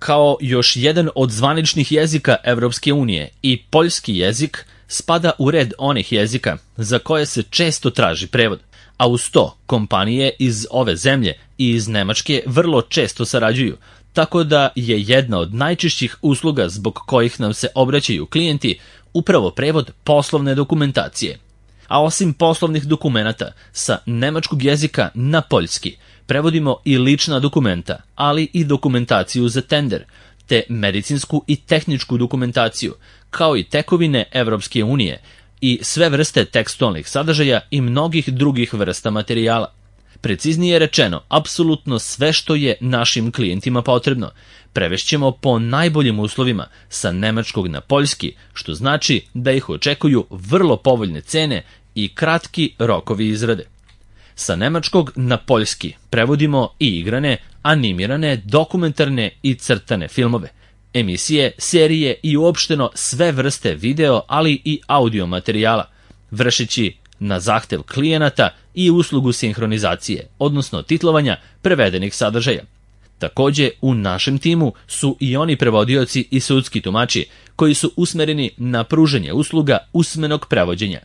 Kao još jedan od zvaničnih jezika Evropske unije i poljski jezik spada u red onih jezika za koje se često traži prevod, a uz to kompanije iz ove zemlje i iz Nemačke vrlo često sarađuju, tako da je jedna od najčešćih usluga zbog kojih nam se obraćaju klijenti upravo prevod poslovne dokumentacije. A osim poslovnih dokumenata sa nemačkog jezika na poljski, prevodimo i lična dokumenta, ali i dokumentaciju za tender, te medicinsku i tehničku dokumentaciju, kao i tekovine Evropske unije i sve vrste tekstualnih sadržaja i mnogih drugih vrsta materijala. Preciznije rečeno, apsolutno sve što je našim klijentima potrebno, prevešćemo po najboljim uslovima sa nemačkog na poljski, što znači da ih očekuju vrlo povoljne cene i kratki rokovi izrade. Sa nemačkog na poljski prevodimo i igrane, animirane, dokumentarne i crtane filmove, emisije, serije i uopšteno sve vrste video, ali i audio materijala, vršeći na zahtev klijenata i uslugu sinhronizacije, odnosno titlovanja prevedenih sadržaja. Takođe, u našem timu su i oni prevodioci i sudski tumači koji su usmereni na pružanje usluga usmenog prevođenja.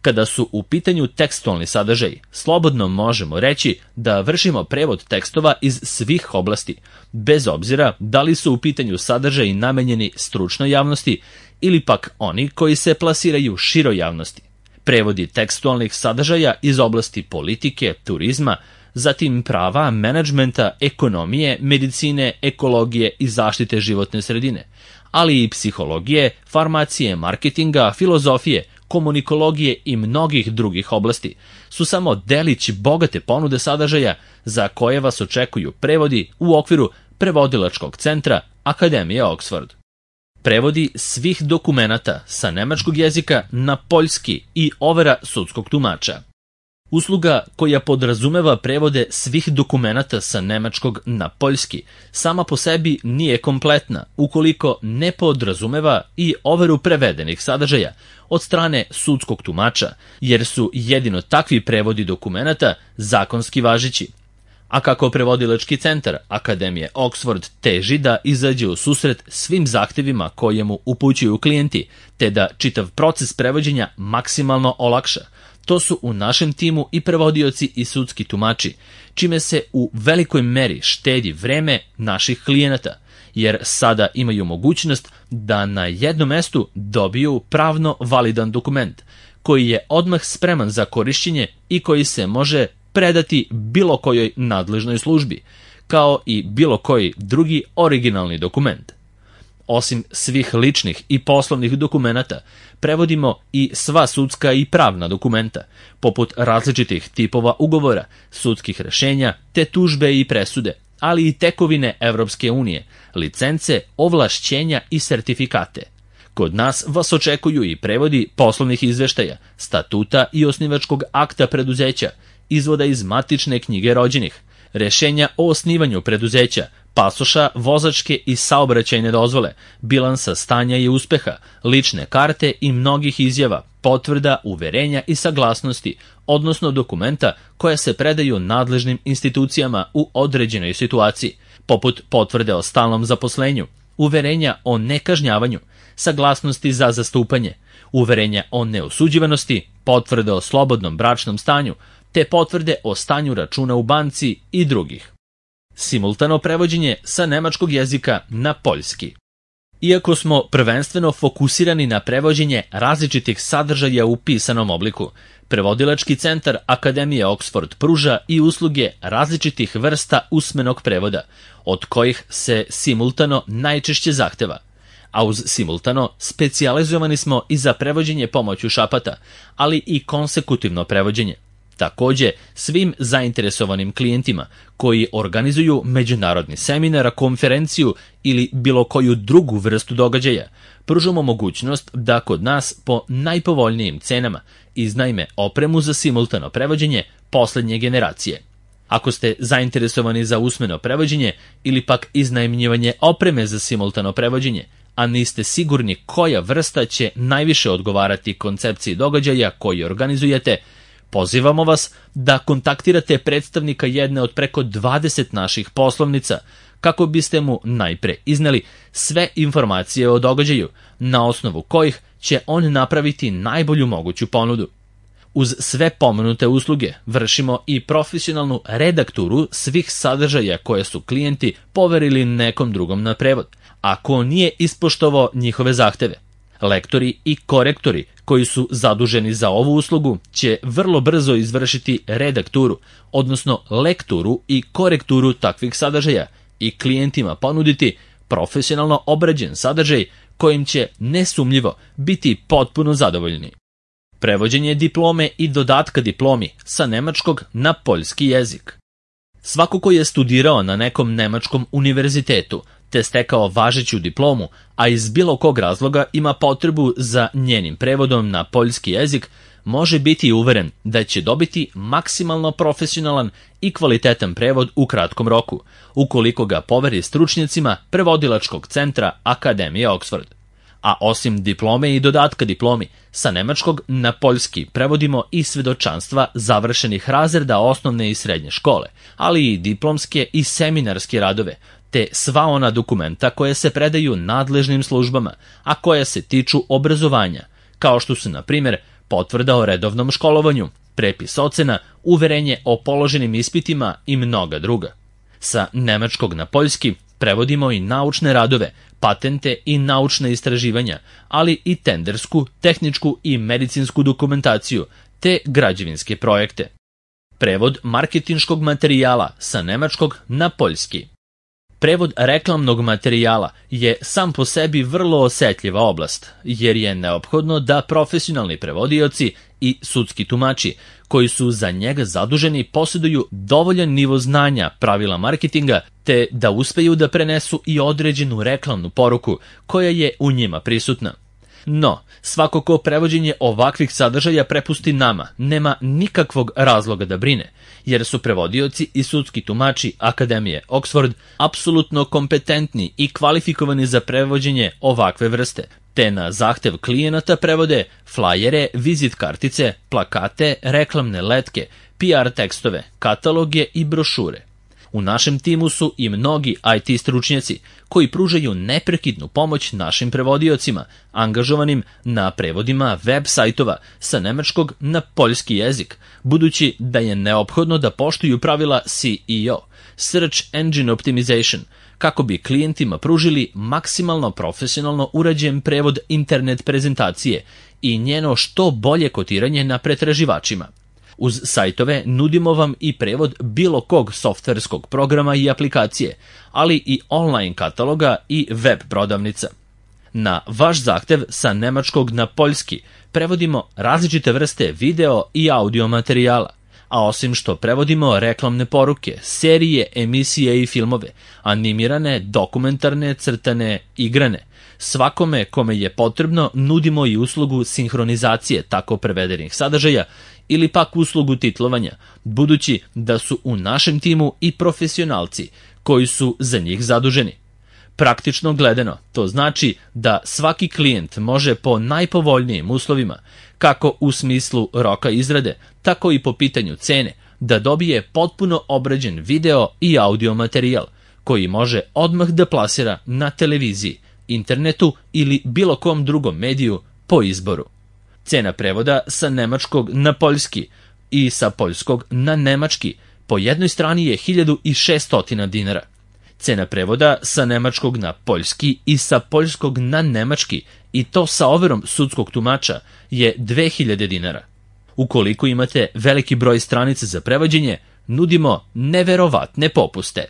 Kada su u pitanju tekstualni sadržaj, slobodno možemo reći da vršimo prevod tekstova iz svih oblasti, bez obzira da li su u pitanju sadržaji namenjeni stručnoj javnosti ili pak oni koji se plasiraju široj javnosti. Prevodi tekstualnih sadržaja iz oblasti politike, turizma, zatim prava, menadžmenta, ekonomije, medicine, ekologije i zaštite životne sredine, ali i psihologije, farmacije, marketinga, filozofije, komunikologije i mnogih drugih oblasti su samo delići bogate ponude sadržaja za koje vas očekuju prevodi u okviru prevodilačkog centra Akademije Oxford. Prevodi svih dokumenata sa nemačkog jezika na poljski i overa sudskog tumača. Usluga koja podrazumeva prevode svih dokumenata sa nemačkog na poljski sama po sebi nije kompletna ukoliko ne podrazumeva i overu prevedenih sadržaja od strane sudskog tumača, jer su jedino takvi prevodi dokumenata zakonski važeći. A kako prevodilački centar Akademije Oxford teži da izađe u susret svim zahtevima koje mu upućuju klijenti, te da čitav proces prevođenja maksimalno olakša, to su u našem timu i prevodioci i sudski tumači, čime se u velikoj meri štedi vreme naših klijenata, jer sada imaju mogućnost da na jednom mestu dobiju pravno validan dokument, koji je odmah spreman za korišćenje i koji se može predati bilo kojoj nadležnoj službi, kao i bilo koji drugi originalni dokument. Osim svih ličnih i poslovnih dokumenata, prevodimo i sva sudska i pravna dokumenta, poput različitih tipova ugovora, sudskih rešenja, te tužbe i presude, ali i tekovine Evropske unije, licence, ovlašćenja i sertifikate. Kod nas vas očekuju i prevodi poslovnih izveštaja, statuta i osnivačkog akta preduzeća, izvoda iz matične knjige rođenih, rešenja o osnivanju preduzeća, pasoša, vozačke i saobraćajne dozvole, bilansa stanja i uspeha, lične karte i mnogih izjava, potvrda, uverenja i saglasnosti, odnosno dokumenta koja se predaju nadležnim institucijama u određenoj situaciji, poput potvrde o stalnom zaposlenju, uverenja o nekažnjavanju, saglasnosti za zastupanje, uverenja o neosuđivanosti, potvrde o slobodnom bračnom stanju, te potvrde o stanju računa u banci i drugih. Simultano prevođenje sa nemačkog jezika na poljski. Iako smo prvenstveno fokusirani na prevođenje različitih sadržaja u pisanom obliku, prevodilački centar Akademije Oxford pruža i usluge različitih vrsta usmenog prevoda, od kojih se simultano najčešće zahteva. A uz simultano specijalizovani smo i za prevođenje pomoću šapata, ali i konsekutivno prevođenje. Takođe, svim zainteresovanim klijentima koji organizuju međunarodni seminar, konferenciju ili bilo koju drugu vrstu događaja, pružamo mogućnost da kod nas po najpovoljnijim cenama iznajme opremu za simultano prevođenje poslednje generacije. Ako ste zainteresovani za usmeno prevođenje ili pak iznajmljivanje opreme za simultano prevođenje, a niste sigurni koja vrsta će najviše odgovarati koncepciji događaja koji organizujete, pozivamo vas da kontaktirate predstavnika jedne od preko 20 naših poslovnica kako biste mu najpre izneli sve informacije o događaju, na osnovu kojih će on napraviti najbolju moguću ponudu. Uz sve pomenute usluge vršimo i profesionalnu redakturu svih sadržaja koje su klijenti poverili nekom drugom na prevod, ako nije ispoštovao njihove zahteve. Lektori i korektori koji su zaduženi za ovu uslugu će vrlo brzo izvršiti redakturu, odnosno lekturu i korekturu takvih sadržaja i klijentima ponuditi profesionalno obrađen sadržaj kojim će nesumnjivo biti potpuno zadovoljni. Prevođenje diplome i dodatka diplomi sa nemačkog na poljski jezik. Svako ko je studirao na nekom nemačkom univerzitetu te stekao važeću diplomu, a iz bilo kog razloga ima potrebu za njenim prevodom na poljski jezik, može biti uveren da će dobiti maksimalno profesionalan i kvalitetan prevod u kratkom roku, ukoliko ga poveri stručnjacima prevodilačkog centra Akademije Oxford. A osim diplome i dodatka diplomi, sa nemačkog na poljski prevodimo i svedočanstva završenih razreda osnovne i srednje škole, ali i diplomske i seminarske radove, te sva ona dokumenta koje se predaju nadležnim službama, a koje se tiču obrazovanja, kao što su, na primjer, potvrda o redovnom školovanju, prepis ocena, uverenje o položenim ispitima i mnoga druga. Sa nemačkog na poljski prevodimo i naučne radove, patente i naučne istraživanja, ali i tendersku, tehničku i medicinsku dokumentaciju, te građevinske projekte. Prevod marketinškog materijala sa nemačkog na poljski. Prevod reklamnog materijala je sam po sebi vrlo osetljiva oblast, jer je neophodno da profesionalni prevodioci i sudski tumači, koji su za njega zaduženi, posjeduju dovoljan nivo znanja pravila marketinga, te da uspeju da prenesu i određenu reklamnu poruku koja je u njima prisutna. No, svako ko prevođenje ovakvih sadržaja prepusti nama, nema nikakvog razloga da brine, jer su prevodioci i sudski tumači Akademije Oxford apsolutno kompetentni i kvalifikovani za prevođenje ovakve vrste, te na zahtev klijenata prevode flajere, vizit kartice, plakate, reklamne letke, PR tekstove, kataloge i brošure. U našem timu su i mnogi IT stručnjaci koji pružaju neprekidnu pomoć našim prevodiocima, angažovanim na prevodima web sajtova sa nemačkog na poljski jezik, budući da je neophodno da poštuju pravila SEO, Search Engine Optimization, kako bi klijentima pružili maksimalno profesionalno urađen prevod internet prezentacije i njeno što bolje kotiranje na pretraživačima. Uz sajtove nudimo vam i prevod bilo kog softverskog programa i aplikacije, ali i online kataloga i web prodavnica. Na vaš zahtev sa nemačkog na poljski prevodimo različite vrste video i audio materijala, a osim što prevodimo reklamne poruke, serije, emisije i filmove, animirane, dokumentarne, crtane, igrane, svakome kome je potrebno nudimo i uslugu sinhronizacije tako prevedenih sadržaja ili pak uslugu titlovanja, budući da su u našem timu i profesionalci koji su za njih zaduženi. Praktično gledano, to znači da svaki klijent može po najpovoljnijim uslovima, kako u smislu roka izrade, tako i po pitanju cene, da dobije potpuno obrađen video i audio materijal, koji može odmah da plasira na televiziji, internetu ili bilo kom drugom mediju po izboru. Cena prevoda sa nemačkog na poljski i sa poljskog na nemački po jednoj strani je 1600 dinara. Cena prevoda sa nemačkog na poljski i sa poljskog na nemački, i to sa overom sudskog tumača, je 2000 dinara. Ukoliko imate veliki broj stranica za prevođenje, nudimo neverovatne popuste.